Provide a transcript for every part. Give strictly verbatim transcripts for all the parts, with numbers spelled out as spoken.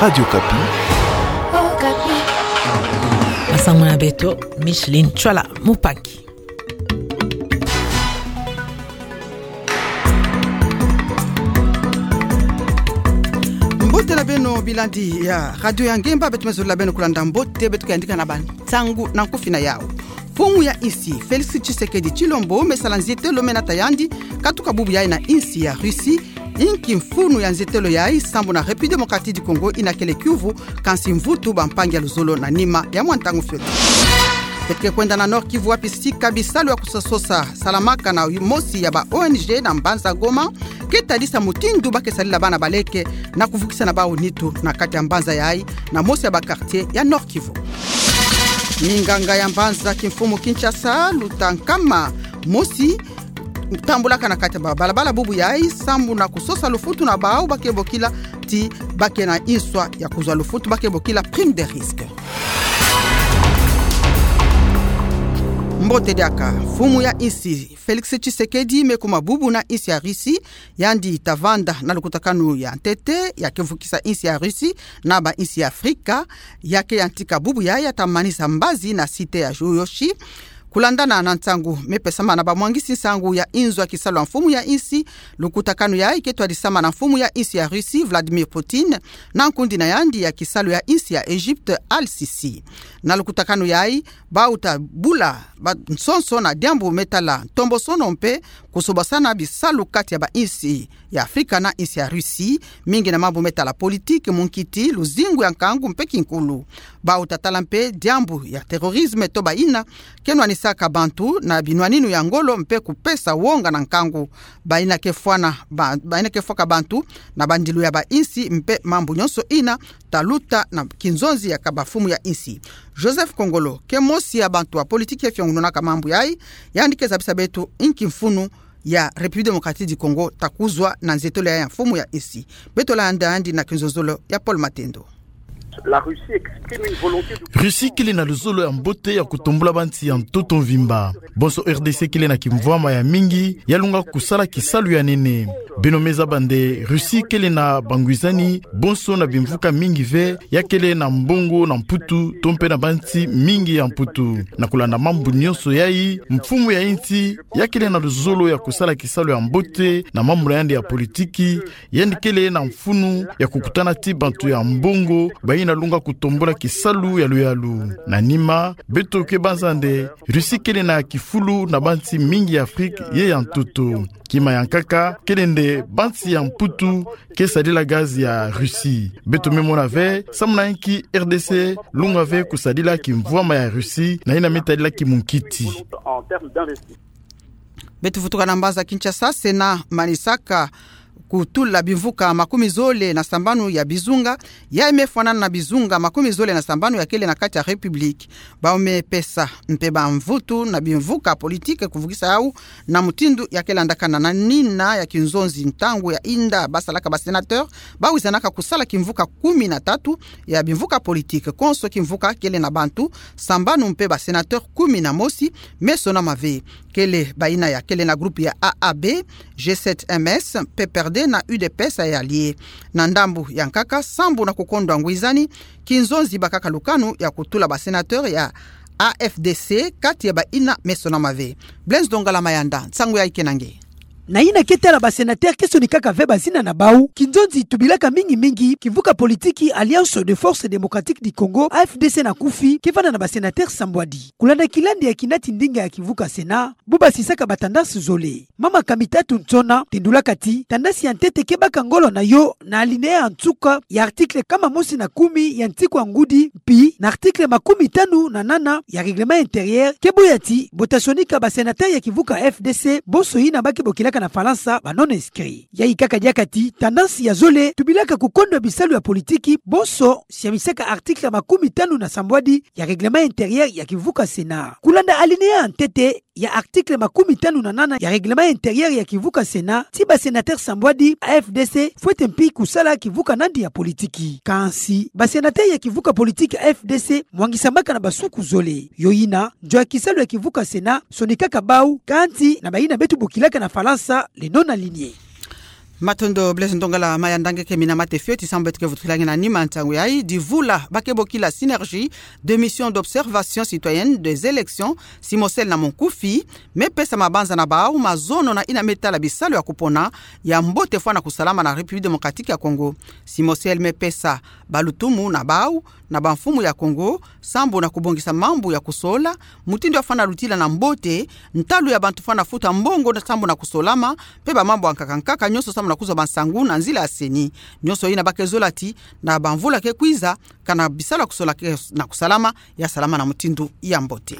Radio Okapi. Masangu na beto, Micheline Tchwala Mupangi. Mbote na beno bilandi ya Radio ya Ngemba, beto me zolila beno kulanda mbote beto ke yandika na bansangu na nkufi na yawu. Mfumu ya insi, Félix Tshisekedi Tshilombo, me sala nzietelo me nata yandi katuka bubu yayi na insi ya Russie, inki mfunu ya nzietelo yayi sambu na République Démocratique du Congo ina kele kiuvu, kansi mvutu bampangi ya luzolo na nima ya mwa ntangu fioti. Beto ke kwenda na Nord-Kivu wapi sika bisalu ya kusosa salamaka na mosi ya ba O N G na mbanza Goma, ke tadisa mutindu ba ke sadila bana baleke na kuvukisa na bawu nitu na kati ya mbanza yayi, na mosi ya ba quartier ya Nord-Kivu. Minganga ya mbanza kimfumu Kinshasa, luta nkama mosi tambulaka na kati ya ba balabala bubu yayi, sambu na kusosa lufutu na bawu ba ke bokila ti ba ke na inswa ya kuzwa lufutu ba ke bokila prime de risque. Mbote diaka, mfumu ya insi, Félix Tshisekedi me kuma bubu na insi ya Russie, yandi ta vanda na lukutakanu ya ntete ya ke vukisa insi ya Russie na ba insi ya Afrika, ya ke yantika bubu yayi ya ta manisa mbazi na site ya Juyoshi. Kulandana na nsangu me pesama na bamwangisi nsangu ya inzo ya kisalu ya mfumu ya insi, lukutakanu yayi ke twadisama na mfumu ya insi ya Russie, Vladimir Poutine, na nkundi na yandi ya kisalu ya insi ya Egypte, Al-Sisi. Na lukutakanu yayi, bawu ta bula bansonso na diambu me tala ntombosono mpe kusobasana bisalu kati ya ba insi ya Afrika na insi ya Russie, mingi na mambu me tala politique, munkiti, luzingu ya nkangu mpe kinkulu. Bawu ta tala mpe diambu ya terrorisme to bayina ke nwanisaka bantu na binwaninu ya ngolo mpe kupesa wonga na nkangu, bayina ke fwana ba-, bayina ke fwaka bantu na bandilu ya ba insi mpe mambu nyonso ina ta luta na kinzonzi ya kaba mfumu ya insi. Joseph Kongolo, ke mosi ya bantu ya politique ya fiongununaka mambu yayi, yandi ke zabisa beto inki mfunu ya République Démocratique du Congo ta kuzwa na nzietolo ya mfumu ya insi. Beto landa yandi na kinzonzolo ya Paul Matendo. La Russie exprime une volonté de Russie kele na luzolo ya mbote ya kutombula bansi ya ntoto mvimba. Bonso R D C kele na kimvwama ya mingi, ya lunga kusala kisalu ya nene. Beno me zaba nde Russie kele na bangwizani bonso na bimvuka mingi ve, ya kele na mbongo na Mputu, to mpe na bansi mingi ya Mputu. Na kulanda mambu nyonso yayi, mfumu ya insi ya kele na luzolo ya kusala kisalu ya mbote na mambu na yandi ya politique, yandi kele na mfunu ya kukutana ti bantu ya mbongo bayina lunga kutombula kisalu ya luyalu. Na nima, beto ke banza nde Russie kele na kifulu na bansi mingi ya Afrique ye ya ntoto. Kima ya nkaka kele nde bansi ya Mputu ke sadila gaz ya Russie. Beto me mona ve samu na inki R D C lunga ve kusadila kimvwama ya Russie na yina me tadila kimunkiti. Beto vutuka na mbanza Kinshasa, Sénat manisaka kutula bimvuka makumi zole na sambanu ya bizunga, yayi me fwanana na bizunga makumi zole na sambanu ya kele na kati ya République. Bawu me pesa mpe bamvutu na bimvuka politique kuvukisa yawu na mutindu ya ke landakana. Na nina ya kinzonzi, ntangu ya yinda ba salaka ba sénateur, ba wizanaka kusala kimvuka kumi na tatu ya bimvuka politique. Konso kimvuka kele na bantu sambanu mpe ba sénateur kumi na mosi me sonama ve. Kele bayina ya kele na groupe ya A A B, G sept M S, P P R D na U D P S ya Alliés. Na ndambu ya nkaka, sambu na kukondwa ngwizani, kinzonzi bakaka lukanu ya kutula ba sénateur ya A F D C kati ya bayina me sonama ve. Blaise Dongala Mayanda, nsangu yayi ke na nge. Na yina ke tala ba sénateur ke sonikaka ve bazina na bawu, kinzonzi tubilaka mingi mingi kimvuka politique Alliance des Forces Démocratiques du Congo, A F D C na kufi, ke vanda na ba sénateur sambwadi. Kulanda kilandi ya kinati ndinga ya kimvuka Sénat, bu basisaka ba tendance zole. Mama Kamitatu Nsona tendulaka ti tendance ya ntete ke baka ngolo na yo na alinéa ya nsuka ya article kama mosi na kumi ya nsiku ya ngudi, mpi na article makumi tanu na nana ya règlement intérieur, ke boya ti bo ta sonika ba sénateur ya kimvuka F D C, bonso yina ba ke bokilaka na Falansa ba non-inscrits. Yayi kaka diaka ti tendance ya zole tubilaka kukondwa bisalu ya politique, bonso siamisaka article makumi tanu na sambwadi ya règlement intérieur ya kimvuka Sénat. Kulanda alinéa ya ntete ya article makumi tanu na nana ya règlement intérieur ya kimvuka Sénat, ti ba sénateur sambwadi A F D C fwete mpi kusala kimvuka nandi ya politique. Kansi ba sénateur ya kimvuka politique A F D C mwangisamaka na basuku zole. Yo yina, nzo ya kisalu ya kimvuka Sénat sonikaka bawu, kansi na bayina beto bokilaka na Falansa les non-alignés. Matondo Blaise Ntongala. Maya ndange ke mina mate fioti sambu beto ke vutukila nge na nima ntangu yayi. Divula ba ke bokila Synergie de Mission d'Observation Citoyenne des Élections, Cimocel na monkufi, me pesa mabanza na bawu mazono na yina me tala bisalu ya kupona ya mbote fwana kusalama na République Démocratique ya Congo. Cimocel me pesa balutumu na bawu na bamfumu ya Congo sambu na kubongisa mambu ya kusola, mutindu ya fwana lutila na mbote, ntalu ya bantu fwana futa mbongo na sambu na kusolama, mpe bamambu ya nkaka nkaka nyonso sambu na kuzwa bansangu na nzila ya CENI. Nyonso yina ba ke zola ti na bamvula ke kwiza, kana bisalu ya kusola ke na kusalama, ya salama na mutindu ya mbote.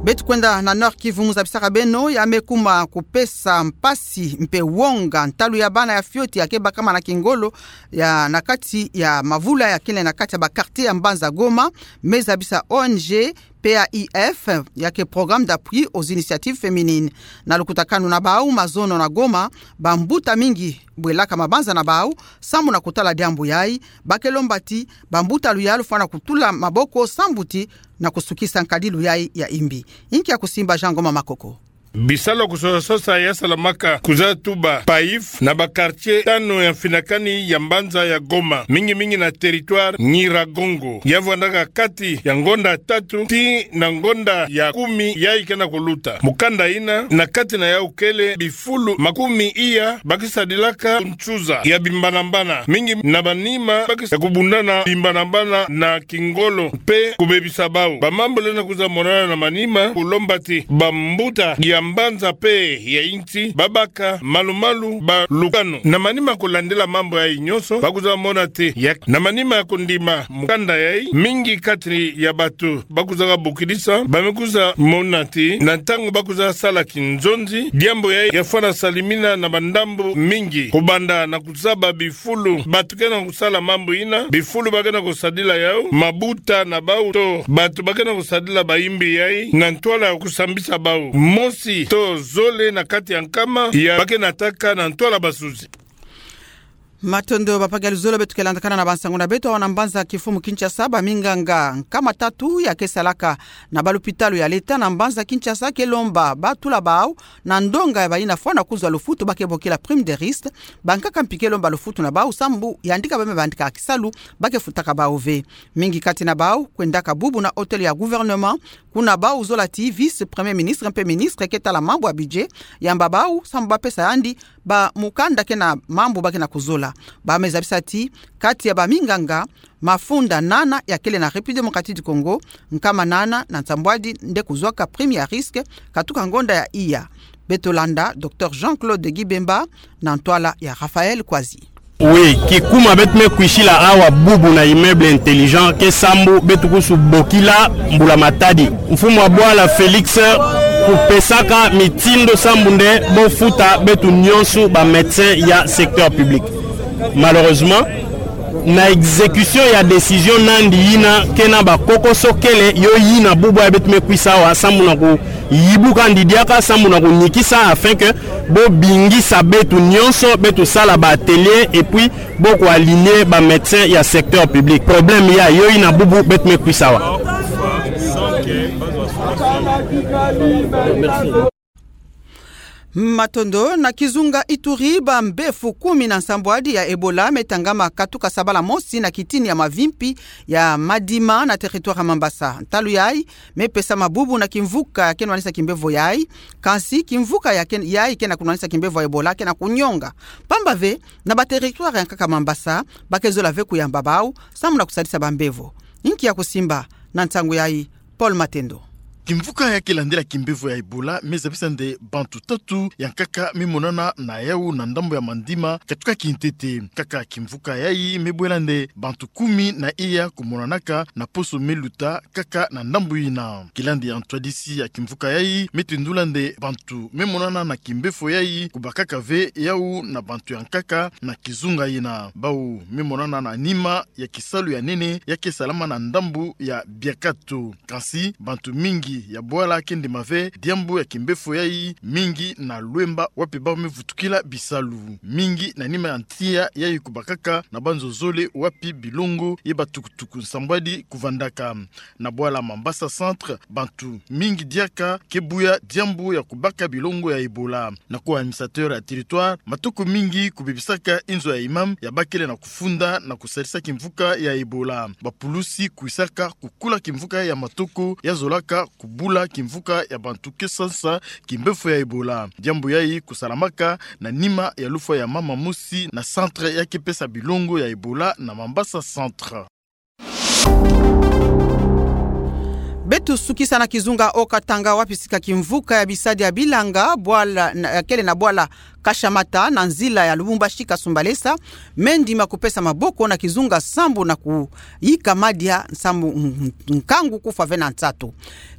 Beto kwenda na Nord-Kivu, mu zabisaka beno, ya me kuma kupesa mpasi mpe wonga ntalu ya bana ya fioti ya ke bakama na kingolo ya na kati ya mavula ya kele na kati ya ba quartier ya mbanza Goma, me zabisa O N G P A I F, ya ke Programme d'Appui aux Initiatives Féminines. Na lukutakanu na bawu mazono na Goma, bambuta mingi bwelaka mabanza na bawu sambu na kutala diambu yayi, ba ke lomba ti bambuta luyalu fwana kutula maboko sambu ti na kusukisa nkadilu yayi ya imbi. Inki ya kusimba, Jean Ngoma Makoko. Bisalu ya kusosasosa ya salamaka kuzatu ba PAIF na ba quartier tanu ya mfinakani ya mbanza ya Goma, mingi mingi na territoire Nyiragongo. Ya vwandaka kati ya ngonda tatu tii na ngonda ya kumi yayi ke na kuluta. Mukanda yina, na kati na yawu kele bifulu makumi iya ba ke sadilaka nsuza ya bimbanambana, mingi na banima ba ke sa kubundana bimbanambana na kingolo mpe kubebisa bawu. Bamambu lenda kwiza monana na manima, kulomba ti bambuta ya mbanza mpe ya insi ba baka malu-malu balukanu. Na manima kulandila mambu yayi nyonso, ba kwiza mona ti ya, na manima ya kundima mukanda yayi, mingi kati ya bantu ba kwizaka bokidisa, ba me kwiza mona ti na ntangu ba kwiza sala kinzonzi, diambu yayi ya fwana salimina na bandambu mingi, kubanda na kuzaba bifulu bantu ke na kusala mambu yina, bifulu ba ke na kusadila yawu, mabuta na bawu to bantu ba ke na kusadila bayimbi yayi na ntwala ya kusambisa bawu, mosi to zole na kati ya nkama ya ba ke nataka na ntwala basuzi. Matondo, papa Galuzolo. Beto ke landakana na bansangu na beto awa na mbanza kifumu Kinshasa. Baminganga nkama tatu ya ke salaka na balupitalu ya leta na mbanza Kinshasa ke lomba ba tula bawu na ndonga ya bayina fwana kuzwa lufutu ba ke bokila prime de risque. Bankaka mpi ke lomba lufutu na bawu sambu yandika ba me bandika kisalu, ba ke futaka bawu ve. Mingi kati na bawu kwendaka bubu na hôtel ya gouvernement, kuna bawu zola ti vice-premier ministre mpe ministre ke tala mambu ya budget yamba bawu sambu ba pesa yandi bamukanda ke na mambu ba ke na kuzola. Ba me zabisa ti kati ya baminganga mafunda nana ya kele na République Démocratique du Congo, nkama nana na nsambwadi nde kuzwaka prime ya risque katuka ngonda ya iya. Beto landa Docteur Jean-Claude Gibemba na ntwala ya Raphaël Kwasi. Oui, kikuma beto me kwisila awa bubu na immeuble Intelligent ke sambu beto kusu bokila mbula matadi. Mfumu wa bwala Félix kupesaka mitindo sambu nde bo futa beto nyonso ba médecins ya secteur public. Malheureusement, na exécution ya décision na yandi yina, ke na bakokoso kele, yo yina bubu ya beto me kwisa awa sambu na kuyibuka yandi diaka sambu na kunikisa, afin que bo bingisa beto nyonso, beto sala ba atelier, et puis bo ku aligner ba médecins ya secteur public. Problème yayi, yo yina bubu beto me kwisa awa. Matondo. Na kizunga Ituri, bambefu kumi na nsambwadi ya Ebola me tangama katuka sabala mosi na kitini ya mavimpi ya Madima na territoire ya Mambasa. Ntalu yayi me pesama bubu na kimvuka ke nwanisa kimbevo yayi. Kansi kimvuka ya ke, yayi ke na kunwanisa kimbevo ya Ebola ke na kunyonga. Pamba ve, na ba territoire ya nkaka Mambasa, ba ke zola ve kuyamba bawu sambu na kusadisa bambevo. Inki ya kusimba na nsangu yayi? Paul Matendo. Kimvuka ya ke landila kimbevo ya Ebola me zabisa nde bantu tatu ya nkaka me monana na yawu na ndambu ya Madima katuka kintete. Kaka kimvuka yayi me bwela nde bantu kumi na iya kumonanaka na poso me luta kaka na ndambu yina. Kilandi ya ntwadisi ya kimvuka yayi me tendula nde bantu me monana na kimbevo yayi kubakaka ve yawu na bantu ya nkaka na kizunga yina. Bawu me monana na nima ya kisalu ya nene ya ke salama na ndambu ya Biakato. Kansi bantu mingi Ya bwala kendema ve diambu ya kimbefo yayi mingi na Luemba wapi bamvutukila bisalu. Mingi na nima ya tiya yayi kubakaka na banzo zole wapi bilongo ye batukutuku nsambwadi kuvandaka. Na bwala Mambasa Centre, bantu mingi diaka ke buya diambu ya kubaka bilongo ya Ebola. Na ku administrateur ya territoire, matoko mingi kubebisaka inzo ya imam ya bakele na kufunda na kusalisa kimvuka ya Ebola. Bapulusi kwisaka kukula kimvuka ya matoko ya zolaka kubula kimvuka ya bantu ke sansa kimbefo ya Ebola. Diambu yayi kusalamaka na nima ya lufwa ya mama mosi na centre ya ke pesa bilongo ya Ebola na Mambasa Centre. Beto sukisa na kizunga Haut-Katanga wapi sika kimvuka ya bisadi ya bilanga, bwala, na, ya kele na bwala Kashamata na nzila ya Lubumbashi Kasumbalesa, me ndima kupesa maboko na kizunga sambu na kuyika madia sambu n-, n-, nkangu kufwa ve na nsatu.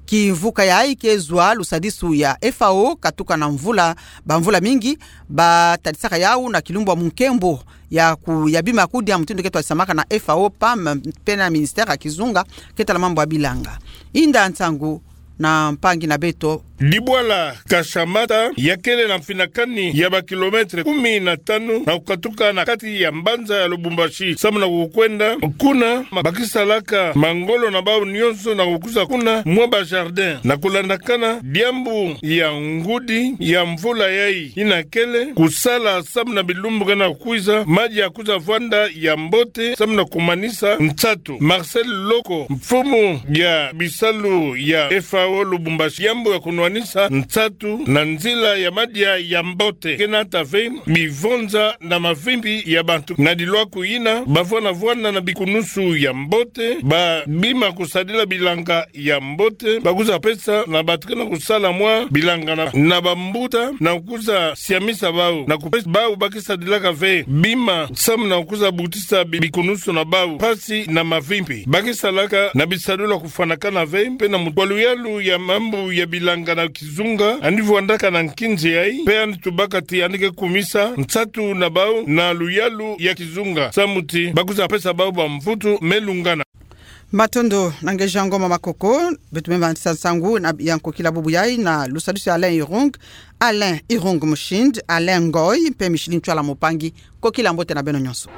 Kimvuka yayi ke zwa lusadisu ya F A O katuka na mvula, bamvula mingi, batadisaka yawu na kilumbu ya munkembo ya ku-, ya bima kudia mutindu ke twadisamaka na F A O, pam, pe na ministère ya kizunga ke tala mambu ya bilanga. Inda nsangu na mpangi na beto. Dibwala Kashamata ya kele na mfinakani ya ba kilomètre kumi na tanu na kukatuka na kati ya mbanza ya Lubumbashi. Sambu na kukwenda kuna, ma-, bakisalaka mangolo na bawu nyonso na kukuza kuna mwa ba jardin. Na kulandakana diambu ya ngudi ya mvula yayi yina kele kusala sambu na bilumbu ke na kukwiza, madia kuza vwanda ya mbote, sambu na kumanisa nsatu. Marcel Loko, mfumu ya bisalu ya F A O Lubumbashi, diambu ya kunwanisa nsatu na nzila ya madia ya mbote ke nata ve bivonza na mavimpi ya bantu. Na dilwaku yina, bavwanda vwanda na bikunusu ya mbote, babima kusadila bilanga ya mbote, bakuza pesa na bantu ke na kusala mwa bilanga na, na bambuta, na kuza siamisa bawu, na kupesa bawu bakisadilaka ve bima, sambu na kuza butisa bi-, bikunusu na bawu mpasi na mavimpi. Bakisalaka na bisadulu ya kufwanakana ve, pe na mutu wa luyalu ya mambu ya bilanga na kizunga, yandi vwandaka na nkinzi yayi, pe yandi tubaka ti yandi ke kumisa nsatu na bawu na luyalu ya kizunga, samu ti bakuza pesa bawu bamvutu me lungana. Matondo na ngeja ngoma makoko, beto me manisa nsangu na ya nkokila bubu yayi na lusadisu ya Alain Irung, Alain Irung Mushindi, Alain Ngoy, mpe Micheline Ntwala Mupangi, nkokila mbote na beno nyonso.